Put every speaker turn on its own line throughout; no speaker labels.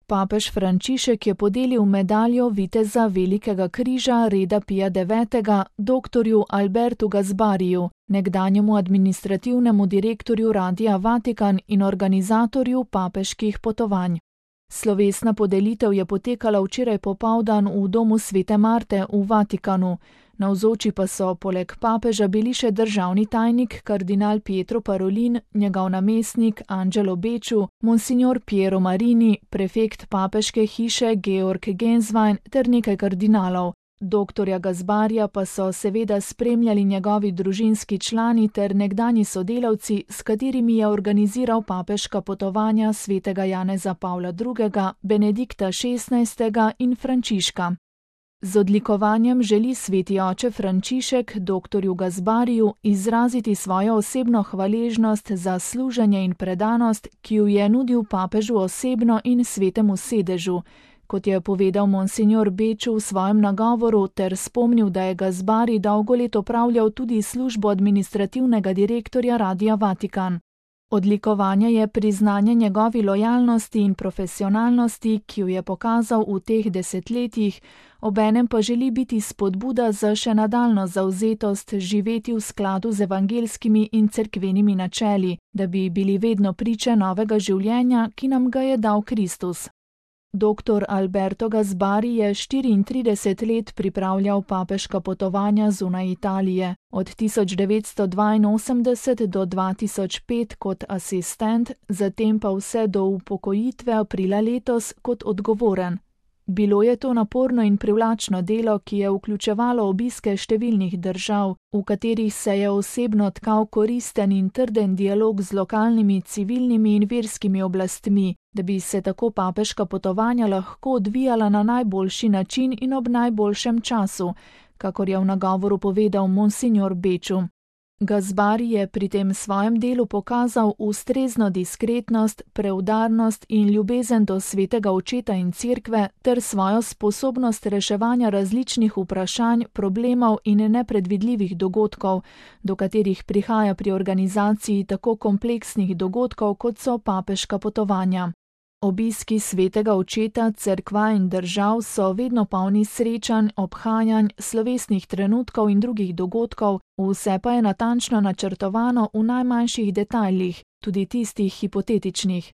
Papež Frančišek je podelil medaljo viteza Velikega križa reda Pija IX. Doktorju Albertu Gazbariju, nekdanjemu administrativnemu direktorju Radia Vatikan in organizatorju papeških potovanj. Slovesna podelitev je potekala včeraj popoldan v domu Svete Marte v Vatikanu. Navzoči pa so poleg papeža bili še državni tajnik kardinal Pietro Parolin, njegov namestnik Angelo Beču, monsignor Piero Marini, prefekt papeške hiše Georg Genswein ter nekaj kardinalov. Doktorja Gazbarija pa so seveda spremljali njegovi družinski člani ter nekdanji sodelavci, s katerimi je organiziral papeška potovanja svetega Janeza Pavla II., Benedikta XVI. In Frančiška. Z odlikovanjem želi sveti oče Frančišek doktorju Gazbariju izraziti svojo osebno hvaležnost za služenje in predanost, ki ju je nudil papežu osebno in svetemu sedežu. Kot je povedal monsignor Beču v svojem nagovoru ter spomnil, da je Gazbari dolgo let opravljal tudi službo administrativnega direktorja Radia Vatikan. Odlikovanje je priznanje njegovi lojalnosti in profesionalnosti, ki jo je pokazal v teh desetletjih, obenem pa želi biti spodbuda za še nadaljnjo zavzetost živeti v skladu z evangeljskimi in cerkvenimi načeli, da bi bili vedno priče novega življenja, ki nam ga je dal Kristus. Dr. Alberto Gazbari je 34 let pripravljal papeška potovanja zunaj Italije, od 1982 do 2005 kot asistent, zatem pa vse do upokojitve aprila letos kot odgovoren. Bilo je to naporno in privlačno delo, ki je vključevalo obiske številnih držav, v katerih se je osebno tkal koristen in trden dialog z lokalnimi civilnimi in verskimi oblastmi, da bi se tako papeška potovanja lahko odvijala na najboljši način in ob najboljšem času, kakor je v nagovoru povedal monsignor Beču. Gazbari je pri tem svojem delu pokazal ustrezno diskretnost, preudarnost in ljubezen do svetega očeta in cerkve ter svojo sposobnost reševanja različnih vprašanj, problemov in nepredvidljivih dogodkov, do katerih prihaja pri organizaciji tako kompleksnih dogodkov, kot so papeška potovanja. Obiski svetega očeta, cerkva in držav so vedno polni srečanj, obhajanj, slovesnih trenutkov in drugih dogodkov, vse pa je natančno načrtovano v najmanjših detajlih, tudi tistih hipotetičnih.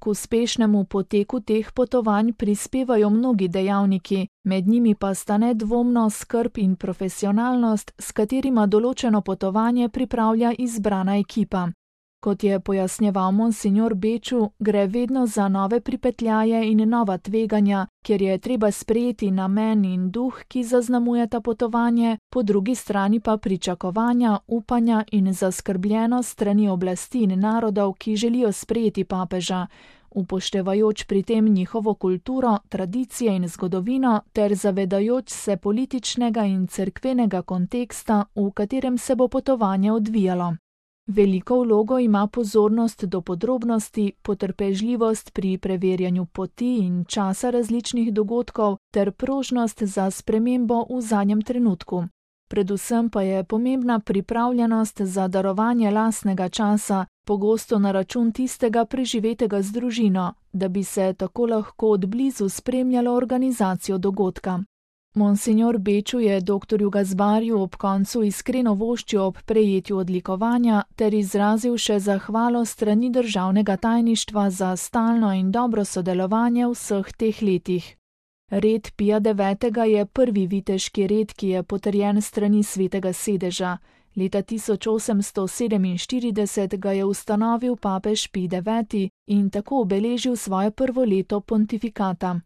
K uspešnemu poteku teh potovanj prispevajo mnogi dejavniki, med njimi pa sta nedvomno skrb in profesionalnost, s katerima določeno potovanje pripravlja izbrana ekipa. Kot je pojasnjeval monsignor Beču, gre vedno za nove pripetljaje in nova tveganja, kjer je treba sprejeti namen in duh, ki zaznamujeta potovanje, po drugi strani pa pričakovanja, upanja in zaskrbljenost strani oblasti in narodov, ki želijo sprejeti papeža, upoštevajoč pri tem njihovo kulturo, tradicije in zgodovino ter zavedajoč se političnega in cerkvenega konteksta, v katerem se bo potovanje odvijalo. Veliko vlogo ima pozornost do podrobnosti, potrpežljivost pri preverjanju poti in časa različnih dogodkov ter prožnost za spremembo v zadnjem trenutku. Predvsem pa je pomembna pripravljenost za darovanje lastnega časa, pogosto na račun tistega preživetega z družino, da bi se tako lahko od blizu spremljalo organizacijo dogodka. Monsignor Beču je doktorju Gazbariju ob koncu iskreno voščil ob prejetju odlikovanja ter izrazil še zahvalo strani državnega tajništva za stalno in dobro sodelovanje vseh teh letih. Red Pija IX. Je prvi viteški red, ki je potrjen strani svetega sedeža. Leta 1847 ga je ustanovil papež Pij IX. In tako obeležil svoje prvo leto pontifikata.